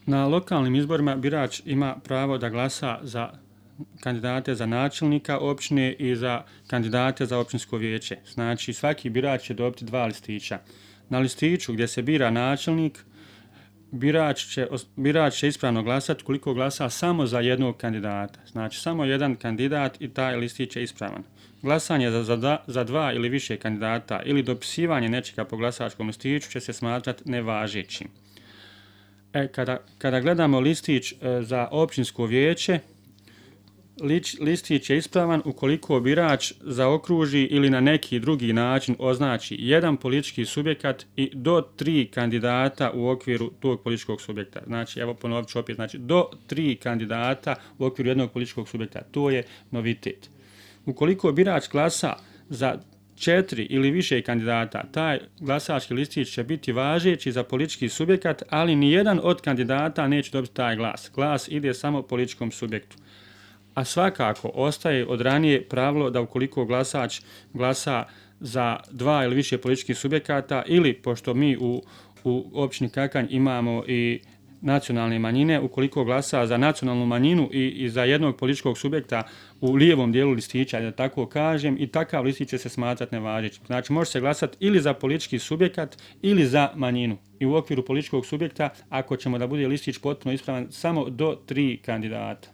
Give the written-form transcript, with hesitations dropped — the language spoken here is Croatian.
Na lokalnim izborima birač ima pravo da glasa za kandidate za načelnika općine i za kandidate za općinsko vijeće. Znači, svaki birač će dobiti 2 listića. Na listiću gdje se bira načelnik, birač će ispravno glasati koliko glasa samo za jednog kandidata. Znači, samo jedan kandidat i taj listić je ispravan. Glasanje za 2 ili više kandidata ili dopisivanje nečega po glasačkom listiću će se smatrati nevažećim. Kada gledamo listić za općinsko vijeće, listić je ispravan ukoliko birač zaokruži ili na neki drugi način označi jedan politički subjekat i do 3 kandidata u okviru tog političkog subjekta. Znači, evo ponovit ću opet, znači do 3 kandidata u okviru jednog političkog subjekta. To je novitet. Ukoliko birač glasa za 4 ili više kandidata, taj glasački listić će biti važeći za politički subjekat, ali nijedan od kandidata neće dobiti taj glas. Glas ide samo političkom subjektu. A svakako ostaje od ranije pravilo da ukoliko glasač glasa za 2 ili više političkih subjekata ili, pošto mi u općini Kakanj imamo i nacionalne manjine, ukoliko glasa za nacionalnu manjinu i za jednog političkog subjekta u lijevom dijelu listića, da tako kažem, i takav listić će se smatrati nevažećim. Znači, može se glasati ili za politički subjekat ili za manjinu. I u okviru političkog subjekta, ako ćemo da bude listić potpuno ispravan, samo do 3 kandidata.